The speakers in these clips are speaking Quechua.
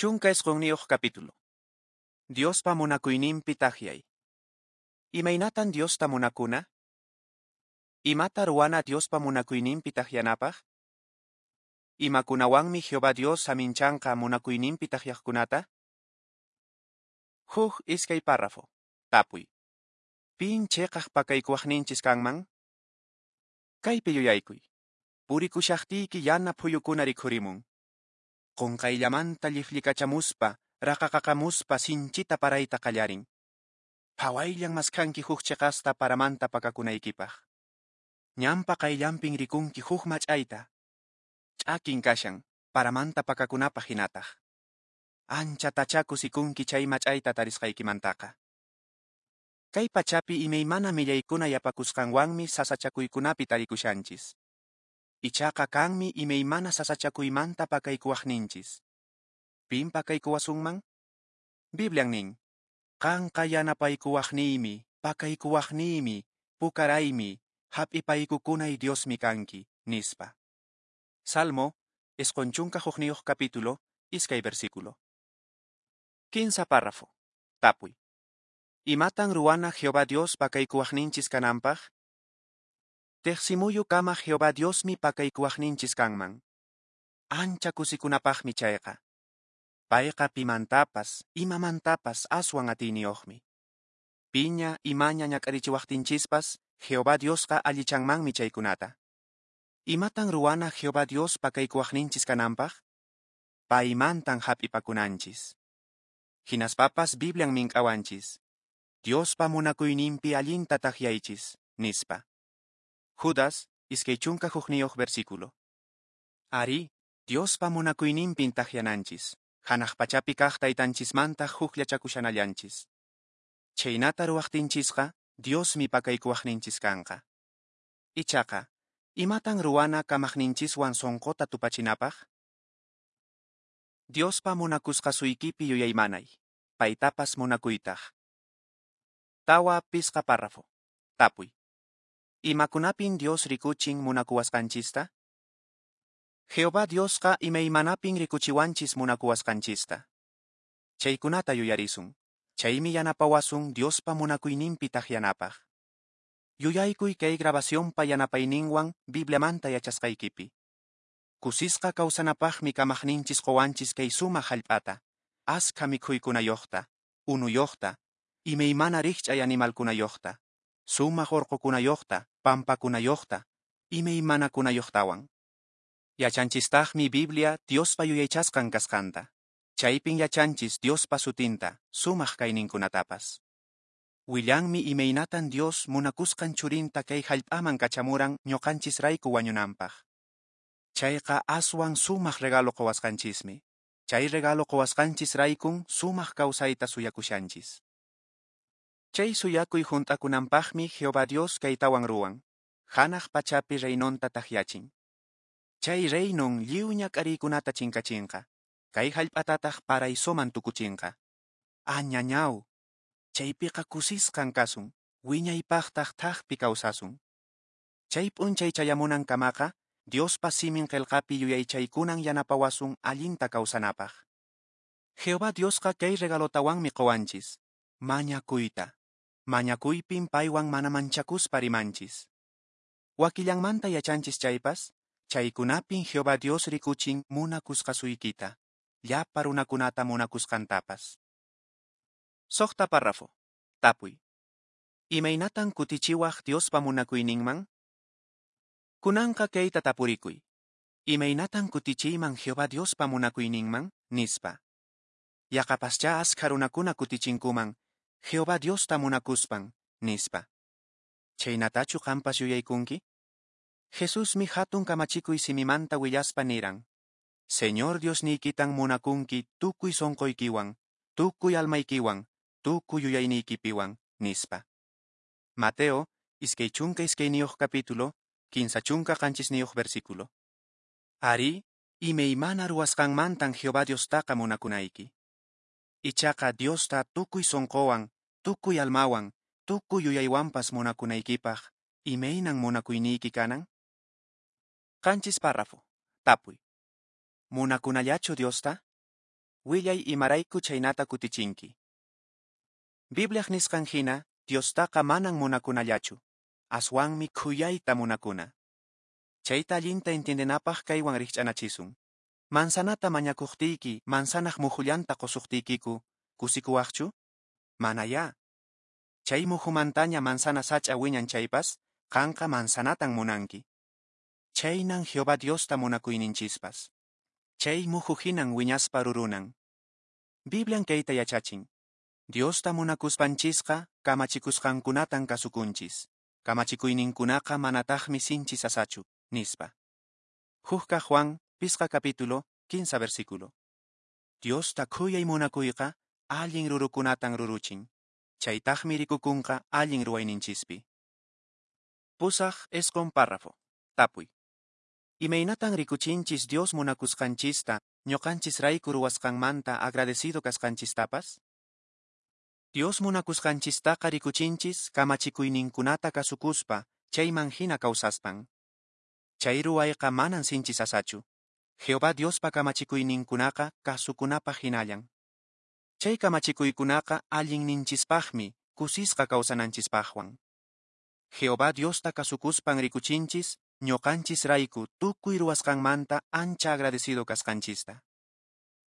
19 capítulo. Diospa munakuyninpi takyay. Imaynatan Diosta munakuna? Imata ruwana Diospa munakuyninpi takyanapaq? Imakunawanmi Jehová Dios saminchanqa munakuyninpi takyaqkunata? Huk iskay párrafo. Tapuy. Pin cheqaq pakaykuwaqninchis kanman? Kaypi yuyaykuy. Purikushaqtiyki yana phuyukuna rikhurimun. Qunqayllamanta llifllikachamuspa, raqaqaqamuspa sinchita parayta qallarin. Phawayllan maskhanki huk cheqasta paramanta pakakunaykipaq. Ñanpa qayllanpin rikunki huk mach'ayta. Ch'akin kashan, paramanta pakakunapaq hinataq. Anchatachá kusikunki chay mach'ayta tarisqaykimantaqa. Kay pachapi imaymana millaykuna yapakusqanwanmi sasachakuykunapi tarikushanchis. Ichaqa kanmi imaymana sasachakuymanta pakaykuwaqninchis. Pin pakaykuwasunman? Biblian nin, qanqa yanapaykuwaqniymi, pakaykuwaqniymi, pukaraymi, hap'ipaykukunay Diosmi kanki, nispa. Salmo, 91 capítulo, 2 versículo. 15 párrafo. Tapuy. Imatan ruwana Jehová Dios pakaykuwaqninchis kananpaq? Teqsimuyu kama Jehová Diosmi pakaykuwaqninchis kanman. Ancha kusikunapaqmi chayqa. Payqa pimantapas, imamantapas aswan atiyniyuqmi. Piña imaña ñak'arichiwaqtinchispas, Jehová Diosqa allichanmanmi chaykunata. Imatan ruwana Jehová Dios pakaykuwaqninchis kananpaq? Paymantan hap'ipakunanchis. Hinaspapas Biblian mink'awanchis. Diospa munakuyninpi allinta takyaychis, nispa. Judas, 21 versículo. Ari, Diospa munakuyninpin takyananchis. Hanaq pachapi kaq taytanchismanta hukllachakushanallanchis. Chhaynata ruwaqtinchisqa, Diosmi pakaykuwaqninchis kanqa. Ichaqa, imatan ruwana kamaqninchiswan sunquta tupachinapaq? Diospa munakusqasuykipi yuyaymanay, paytapas munakuytaq. 4 párrafo. Tapuy. Imakunapin Dios rikuchin munakuwasqanchista? Jehová Diosqa imaymanapin rikuchiwanchis munakuwasqanchista. Chaykunata yuyarisun. Chaymi yanapawasun Diospa munakuyninpi takyanapaq. Yuyaykuy kay grabacionpa yanapayninwan Bibliamanta yachasqaykipi. Kusisqa kawsanapaqmi kamaqninchis qowanchis kay sumaq hallp'ata, askha mikhuykunayuqta, unuyuqta, imaymana rikch'ay animalkunayuqta, sumaq urqukunayuqta, pampakunayuqta, imaymanakunayuqtawan. Yachanchistaqmi Biblia Diospa yuyaychasqan kasqanta. Chaypin yachanchis Diospa sutinta, sumaq kayninkunatapas. Willanmi imaynatan Dios munakusqan churinta kay hallp'aman kachamuran ñuqanchisrayku wañunanpaq. Chayqa aswan sumaq regalo quwasqanchismi. Chay regalo quwasqanchisraykun sumaq kawsayta suyakushanchis. Chay suyakuy hunt'akunanpaqmi Jehová Dios kaytawan ruwan. Hanaq pachapi reinonta takyachin. Chay reinon lliw ñak'ariykunata chinkachinqa. Kay hallp'atataq paraisoman tukuchinqa. Añañaw! Chaypiqa kusisqan kasun, wiñaypaqtaq thakpi kawsasun. Chay p'unchay chayamunankamaqa, Diospa simin qillqapi yuyaychaykunan yanapawasun allinta kawsanapaq. Jehová Diosqa kay regalotawanmi quwanchis, mañakuyta. Mañakuypin paywan mana manchakuspa rimanchis. Wakillanmanta yachanchis chaypas, chaykunapin Jehová Dios rikuchin munakusqasuykita, llapa runakunata munakusqantapas. 6 párrafo. Tapuy. Imaynatan kutichiwaq Diospa munakuyninman? Kunanqa kayta tapurikuy. Imaynatan kutichiyman Jehová Diospa munakuyninman? Nispa. Yaqapaschá askha runakuna kutichinkuman, Jehová Diosta munakuspan, nispa. Chhaynatachu qanpas yuyaykunki? Jesusmi hatun kamachikuy simimanta willaspa niran. Señor Diosniykitan munakunki tukuy sunquykiwan, tukuy almaykiwan, tukuy yuyayniykipiwan, nispa. Mateo, 22 capítulo, 37 versículo. Ari, imaymana ruwasqanmantan Jehová Diostaqa munakunayki. Ichaqa Diosta tukuy sunquwan, tukuy almawan, tukuy yuyaywanpas munakunaykipaq, imaynan munakuyniyki kanan? 7 párrafo. Tapuy. Munakunallachu Diosta? Willay imarayku chhaynata kutichinki. Bibliaq nisqan hina, Diostaqa manan munakunallachu, aswanmi khuyayta munakuna. Chayta allinta entiendenapaq kaywan rikch'anachisun. Manzanata mañakuqtiyki manzanaq muhullanta qosuqtiykiku, kusikuwaqchu? Manayá. Chay muhumantaña manzana sach'a wiñan chaypas, qanqa manzanatan munanki. Chhaynan Jehová Diosta munakuyninchispas. Chay muhu hinan wiñaspa rurunan. Biblian kayta yachachin. Diosta munakuspanchisqa kamachikusqankunatan kasukunchis. Kamachikuyninkunaqa manataqmi sinchi sasachu, nispa. 1 Juan, 5 capítulo, 15 versículo. Diosta khuyay munakuyqa allin rurukunatan ruruchin. Chaytaqmi rikukunqa allin ruwayninchispi. 8, 9 párrafo. Tapuy. Imaynatan rikuchinchis Dios munakusqanchista, ñuqanchisrayku ruwasqanmanta agradecido kasqanchistapas? Dios munakusqanchistaqa rikuchinchis kamachikuyninkunata kasukuspa, chayman hina kawsaspan. Chay ruwayqa manan sinchi sasachu. Jehová Diospa kamachikuyninkunaqa kasukunapaq hinallan. Chay kamachikuykunaqa allinninchispaqmi, kusisqa kawsananchispaqwan. Jehová Diosta kasukuspan rikuchinchis, ñuqanchisrayku tukuy ruwasqanmanta ancha agradecido kasqanchista.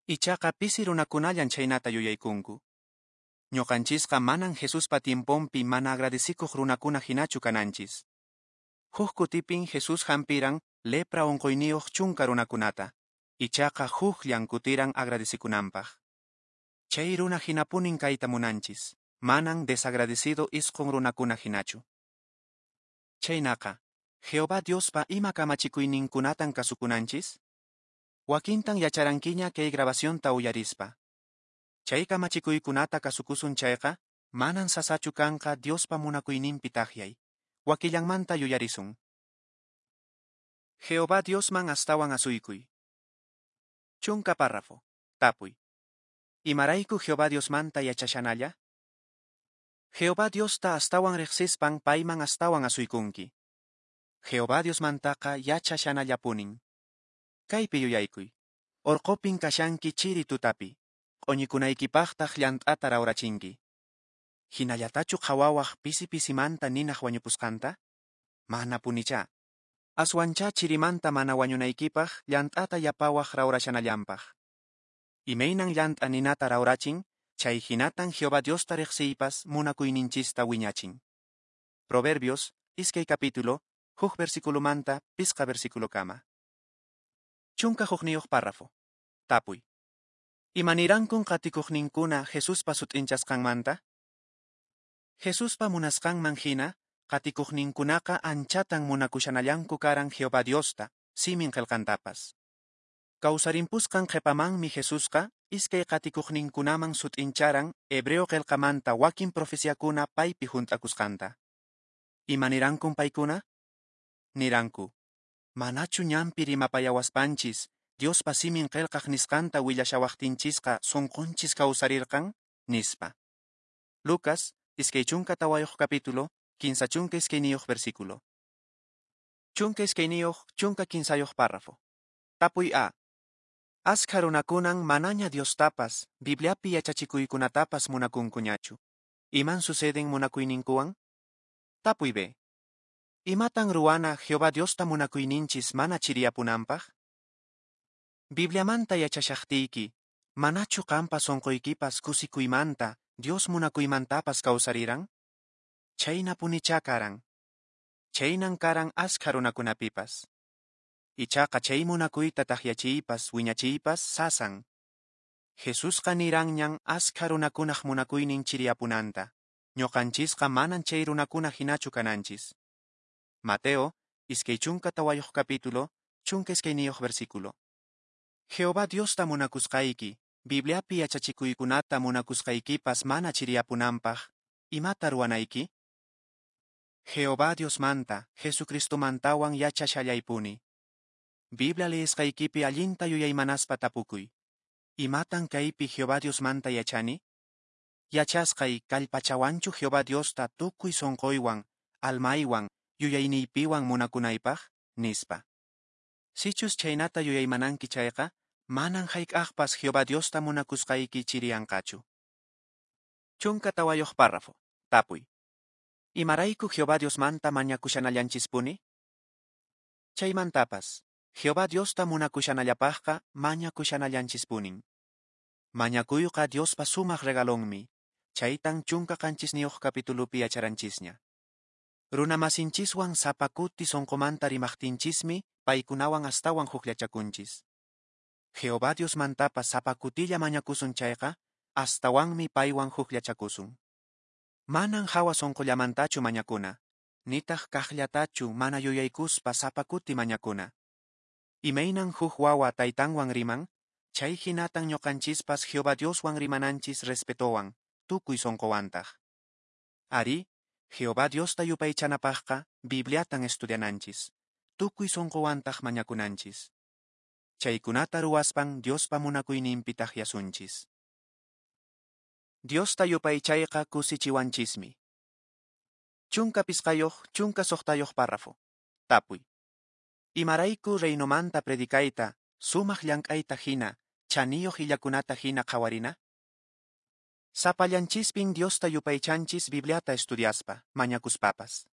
Ichaqa pisi runakunallan chhaynata yuyaykunku. Ñuqanchisqa manan Jesuspa tiemponpi mana agradecikuq runakuna hinachu kananchis. Huk kutipin Jesús hampiran lepra unquyniyuq 10 runakunata, ichaqa hukllan kutiran agradecikunanpaq. Chay runa hinapunin kayta munanchis, manan desagradecido 9 runakuna hinachu. Chhaynaqa, Jehová Diospa ima kamachikuyninkunatan kasukunanchis? Wakintan yacharankiña kay grabacionta uyarispa. Chay kamachikuykunata kasukusun chayqa, manan sasachu kanqa Diospa munakuyninpi takyay. Wakillanmanta yuyarisun. Jehová Diosman astawan asuykuy. 10 párrafo. Tapuy. Imarayku Jehová Diosmanta yachashanalla? Jehová Diosta astawan riqsispan payman astawan asuykunki. Jehová Diosmantaqa yachashanallapunin. Kaypi yuyaykuy. Orqopin kashanki chiri tutapi. Q'uñikunaykipaqtaq llant'ata rawrachinki. Hinallatachu qhawawaq pisi pisimanta ninaq wañupusqanta? Mana punichá. Aswanchá chirimanta mana wañunaykipaq llant'ata yapawaq rawrashanallanpaq. Imaynan llant'a ninata rawrachin, chay hinatan Jehová Diosta riqsiypas munakuyninchista wiñachin. Proverbios, 2 capítulo, 1 versículomanta 5 versículokama. 11 párrafo. Tapuy. Imanirankun qatikuqninkuna Jesuspa sut'inchasqanmanta? Jesuspa munasqanman hina, qatikuqninkunaqa anchatan munakushanallanku karan Jehová Diosta, simin qillqantapas. Kawsarimpusqan qhipamanmi Jesusqa iskay qatikuqninkunaman sut'incharan hebreo qillqamanta wakin profeciakuna paypi hunt'akusqanta. Imanirankun paykuna? Niranku, manachu ñanpi rimapayawaspanchis, Diospa simin qillqaq nisqanta willashawaqtinchisqa sunqunchis kawsarirqan, nispa. Lucas, 24 capítulo, 32 versículo. 12, 13 párrafo. Tapuy A. Askha runakunan manaña Diostapas, Bibliapi yachachikuykunatapas munakunkuñachu. Iman suceden munakuyninkuwan? Tapuy B. Imatan ruwana Jehová Diosta munakuyninchis mana chiriyapunanpaq? Bibliamanta yachashaqtiyki, manachu qampa sunquykipas kusikuymanta, Dios munakuymantapas kawsariran? Chhaynapunichá karan. Chhaynan karan askha runakunapipas. Ichaqa chay munakuyta takyachiypas wiñachiypas sasan. Jesusqa niranñan askha runakunaq munakuynin chiriyapunanta. Ñuqanchisqa manan chay runakuna hinachu kananchis. Mateo, 24 capítulo, 12 versículo. Jehová Diosta munakusqayki, Bibliapi yachachikuykunata munakusqaykipas mana chiriyapunanpaq, imata ruwanayki? Jehová Diosmanta, Jesucristomantawan yachashallaypuni. Biblia leesqaykipi allinta yuyaymanaspa tapukuy. Imatan kaypi Jehová Diosmanta yachani? Yachasqay kallpachawanchu Jehová Diosta tukuy sunquywan, almaywan, yuyayniypiwan munakunaypaq, nispa. Sichus chhaynata yuyaymananki chayqa, Manan hayk'aqpas Jehová Diosta munakusqayki chiriyanqachu. 14 párrafo. Tapuy. Imarayku Jehová Diosmanta mañakushanallanchispuni? Chaymantapas, Jehová Diosta munakushanallapaqqa mañakushanallanchispunin. Mañakuyqa Diospa sumaq regalonmi, chaytan 17 capitulopi yacharanchisña. Runamasinchiswan sapa kuti sonqomanta rimaqtinchismi paykunawan astawan hukllachakunchis. Jehová Diosmantapas sapa kutilla mañakusun chayqa, astawanmi paywan hukllachakusun. Manan hawa sonqollamantachu mañakuna, nitaq kaqllatachu mana yuyaykuspa sapa kuti mañakuna. Imaynan huk wawa taytanwan riman, chay hinatan ñuqanchispas Jehová Dioswan rimananchis respetowan, tukuy sonqowantaq. Arí, Jehová Diosta yupaychanapaqqa Bibliatan estudiananchis, tukuy sonqowantaq mañakunanchis. Chaykunata ruwaspan Diospa munakuyninpi takyasunchis. Diosta yupaychayqa kusichiwanchismi. 15 16 párrafo. Tapuy. Imarayku reinomanta predicayta, sumaq llank'ayta hina, chaniyuq illakunata hina qhawarina? Sapallanchispin Diosta yupaychanchis Bibliata estudiaspa, mañakuspapas.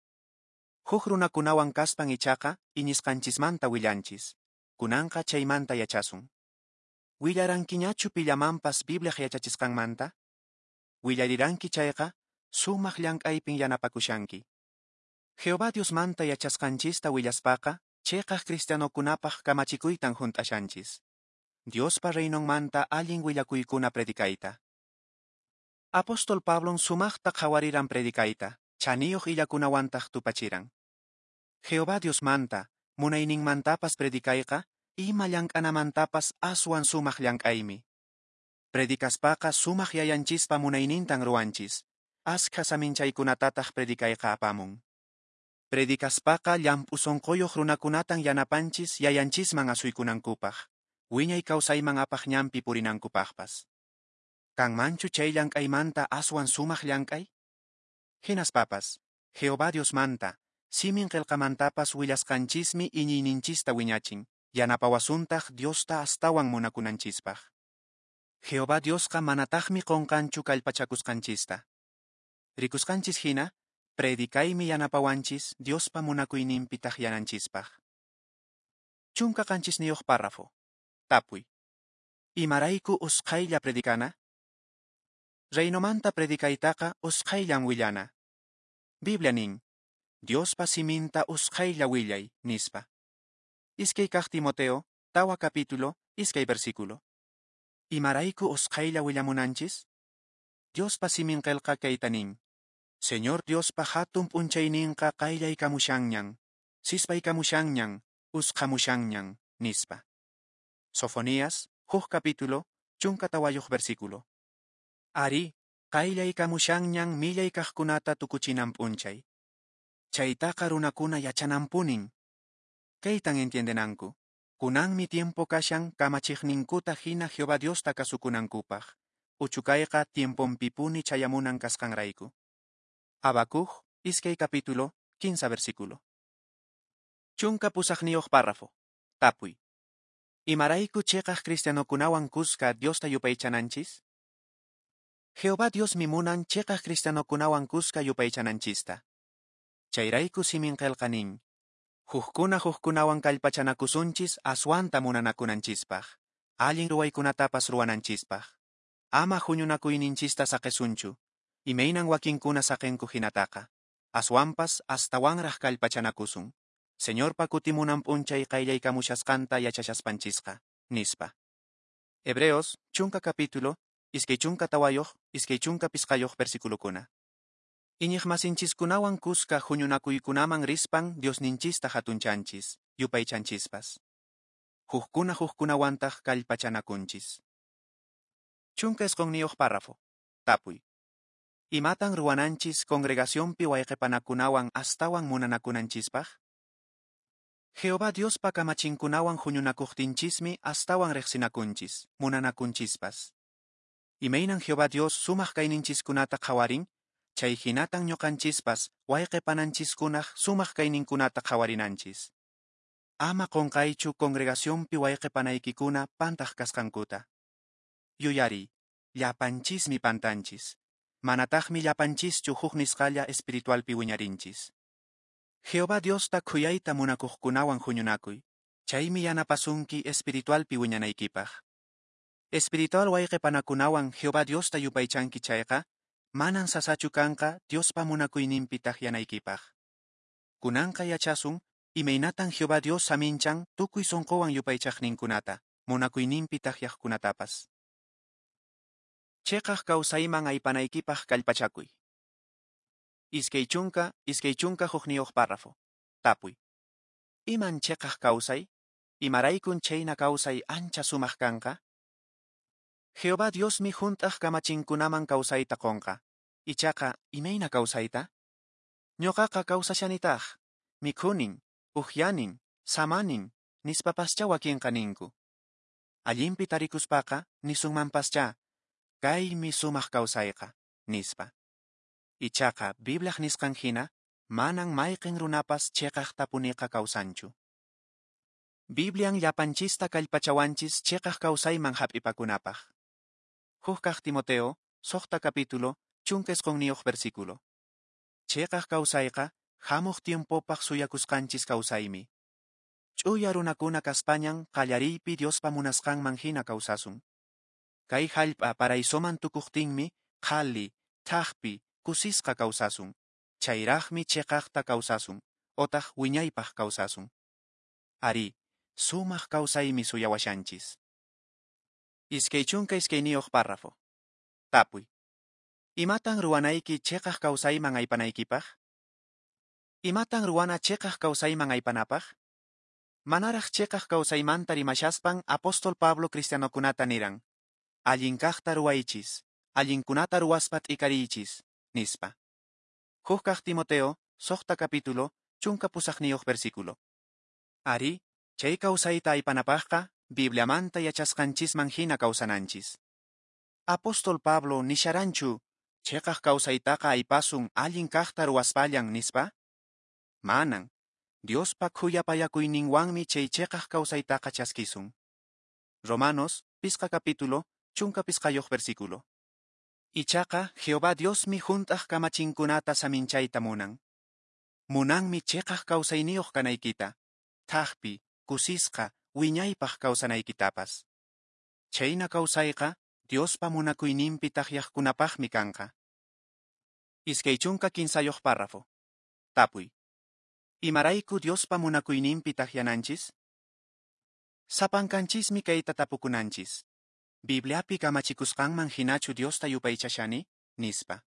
Huk runakunawan kaspan ichaqa iñisqanchismanta willanchis. Kunanqa chaymanta yachasun. Willarankiñachu pillamanpas Bibliaq yachachisqanmanta? Willariranki chayqa, sumaq llank'aypin yanapakushanki. Jehová Diosmanta yachasqanchista willaspaqa, cheqaq cristianokunapaq kamachikuytan hunt'ashanchis. Diospa reinonmanta allin willakuykuna predicayta. Apóstol Pablon sumaqta qhawariran predicayta, chaniyuq illakunawantaq tupachiran. Jehová Diosmanta, munayninmantapas predicayqa, ima llank'anamantapas aswan sumaq llank'aymi. Predicaspaqa sumaq yayanchispa munaynintan ruwanchis, askha saminchaykunatataq predicayqa apamun. Predicaspaqa llamp'u sonqoyuq runakunatan yanapanchis yayanchisman asuykunankupaq, wiñay kawsayman apaq ñanpi purinankupaqpas. Kanmanchu chay llank'aymanta aswan sumaq llank'ay? Hinaspapas, Jehová Diosmanta, simin qillqamantapas willasqanchismi iñiyninchista wiñachin, yanapawasuntaq Diosta astawan munakunanchispaq. Jehová Diosqa manataqmi qunqanchu kallpachakusqanchista. Rikusqanchis hina, predicaymi yanapawanchis Diospa munakuyninpi takyananchispaq. 17 párrafo. Tapuy. Imarayku usqhaylla predicana? Reinomanta predicaytaqa usqhayllan willana. Biblia nin, Diospa siminta usqhaylla willay, nispa. 2 kaq Timoteo, 4 capítulo, 2 versículo. Imarayku usqhaylla willamunanchis? Diospa simin qillqa kayta nin, Señor Diospa hatun p'unchayninqa qayllaykamushanñan, sispaykamushanñan, usqhamushanñan, nispa. Sofonías, 1 capítulo, 14 versículo. Ari, qayllaykamushanñan millay kaqkunata tukuchinan p'unchay. Chaytaqa runakuna yachananpunin. Kaytan entiendenanku. Kunanmi tiempo kashan kamachiqninkuta hina Jehová Diosta kasukunankupaq. Uchukayqa tiemponpipuni chayamunan kasqanrayku. Habacuc, 2 capítulo, 15 versículo. 18 párrafo. Tapuy. Imarayku cheqaq cristianokunawan kuska Diosta yupaychananchis? Jehová Diosmi munan cheqaq cristianokunawan kuska yupaychananchista. Chayrayku simin qillqa nin, hukkuna hukkunawan kallpachanakusunchis aswanta munanakunanchispaq, allin ruwaykunatapas ruwananchispaq. Ama huñunakuyninchista saqesunchu, imaynan wakinkuna saqenku hinataqa. Aswanpas astawanraq kallpachanakusun. Señorpa kutimunan p'unchay qayllaykamushasqanta yachashaspanchisqa, nispa. Hebreos, 10 capítulo, 24 25 versiculokuna. Iñiqmasinchiskunawan kuska huñunakuykunaman rispan Diosninchista hatunchanchis, yupaychanchispas. Hukkuna hukkunawantaq kallpachanakunchis. 19 párrafo. Tapuy. Imatan ruwananchis congregacionpi wayqipanakunawan astawan munanakunanchispaq? Jehová Diospa kamachinkunawan huñunakuqtinchismi astawan riqsinakunchis, munanakunchispas. Imaynan Jehová Dios sumaq kayninchiskunata qhawarin, chay hinatan ñuqanchispas wayqipananchiskunaq sumaq kayninkunata qhawarinanchis. Ama qonqaychu congregacionpi wayqe panaykikuna pantaq kasqankuta. Yuyariy, llapanchismi pantanchis. Manataqmi llapanchischu huk nisqalla espiritualpi wiñarinchis. Jehová Diosta khuyayta munakuqkunawan huñunakuy. Chaymi yanapasunki espiritualpi wiñanaykipaq. Espiritual wayqe panakunawan Jehová Diosta yupaychanki chayqa, manan sasachu kanqa Diospa munakuyninpi takyanaykipaq. Kunanqa yachasun, imaynatan Jehová Dios saminchan tukuy sonqowan yupaychaqninkunata, munakuyninpi takyaqkunatapas. Cheqaq kawsayman aypanaykipaq kallpachakuy. 21 párrafo. Tapuy. Iman cheqaq kawsay? Imaraykun chayna kawsay ancha sumaq kanqa? Jehová Diosmi hunt'aq kamachinkunaman kawsayta qonqa. Ichaqa, imayna kawsayta? Ñuqaqa kawsashanitaq, mikhunin, uhyanin, samanin, nispapascha wakinqa ninku. Allinpi tarikuspaqa, nisunmanpascha, kaymi sumaq kawsayqa, nispa. Ichaqa, Bibliaq nisqan hina, manan mayqin runapas cheqaqtapuniqa kawsanchu. Biblian llapanchista kallpachawanchis cheqaq kawsayman hap'ipakunapaq. 1 Timoteo, 6 capítulo, 19 versículo. Cheqaq kawsayqa, hamuq tiempopaq suyakusqanchis kawsaymi. Ch'uya runakuna kaspañan qallariypi Diospa munasqanman hina kawsasun. Kay hallp'a paraisoman tukuqtinmi, qhali, thaqpi, kusisqa kawsasun. Chayraqmi cheqaqta kawsasun, otaq wiñaypaq kawsasun. Ari, sumaq kawsaymi suyawashanchis. 22 párrafo. Tapuy. Imatan ruwanayki cheqaq kawsayman aypanaykipaq? Imatan ruwana cheqaq kawsayman aypanapaq? Manaraq cheqaq kawsaymanta rimashaspan apóstol Pablo cristianokunata niran. Allin kaqta ruwaychis, allinkunata ruwaspa t'ikariychis, nispa. 1 Timoteo, 6 capítulo, 18 versículo. Ari, chay kawsayta aypanapaqqa, Bibliamanta yachasqanchisman hina kawsananchis. Apóstol Pablo nisharanchu, cheqaq kawsaytaqa aypasun allin kaqta ruwaspallan nispa? Manan, Diospa khuyapayakuyninwanmi chay cheqaq kawsaytaqa chaskisun. Romanos, 5 capítulo, 15 versículo. Ichaqa, Jehová Diosmi hunt'aq kamachinkunata saminchayta munan. Munanmi cheqaq kawsayniyuq kanaykita, thaqpi, kusisqa, wiñaypaq kawsanaykitapas. Chayna kawsayqa, Diospa munakuyninpi takyaqkunapaqmi kanqa. 23 párrafo. Tapuy. Imarayku Diospa munakuyninpi takyananchis? Sapankanchismi kayta tapukunanchis. Bibliapi kamachikusqanman hinachu Diosta yupaychashani? Nispa.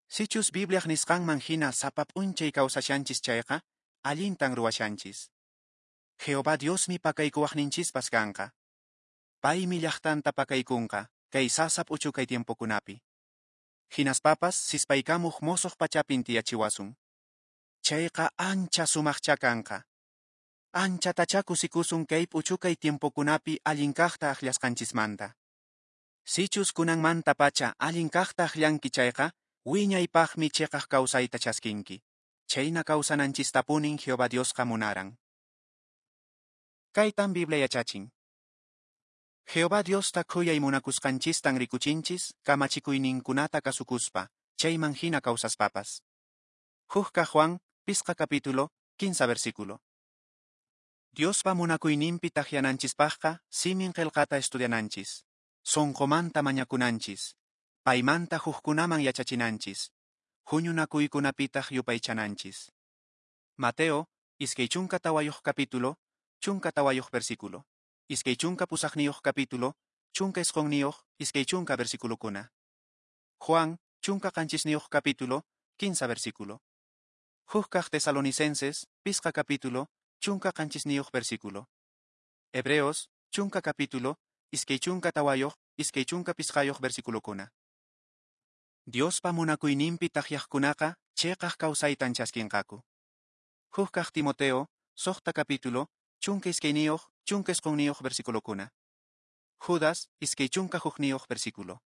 Sichus Bibliaq nisqanman hina sapa p'unchay kawsashanchis chayqa, allintan ruwashanchis. Jehová Diosmi pakaykuwaqninchispas kanqa. Paymi llaqtanta pakaykunqa, kay sasa p'uchukay tiempokunapi. Hinaspapas sispaykamuq mosoq pachapin tiyachiwasun. Chayqa ancha sumaqcha kanqa. Anchatachá kusikusun kay p'uchukay tiempokunapi allin kaqta akllasqanchismanta. Sichus kunanmanta pacha allin kaqta akllanki chayqa, wiñaypaqmi cheqaq kawsayta chaskinki. Chayna kawsananchistapunin Jehová Diosqa munaran. Kaytan Biblia yachachin. Jehová Diosta khuyay munakusqanchistan rikuchinchis kamachikuyninkunata kasukuspa, chayman hina kawsaspapas. 1 Juan, 5 capítulo, 15 versículo. Diospa munakuyninpi takyananchispaqqa simin qillqata estudiananchis, sonqomanta mañakunanchis, paymanta hukkunaman yachachinanchis, huñunakuykunapitaq yupaychananchis. Mateo, 24 capítulo, 14 versículo. 28 capítulo, 19, 20 versículokuna. Juan, 17 capítulo, 15 versículo. 1 Tesalonicenses, 5 capítulo, 17 versículo. Hebreos, 10 capítulo, 24, 25 versículokuna. Diospa munakuyninpi takyaqkunaqa cheqaq kawsaytan chaskinqaku. 1 Timoteo, 6 capítulo, 22, 19 versículokuna. Judas, 21 versículo.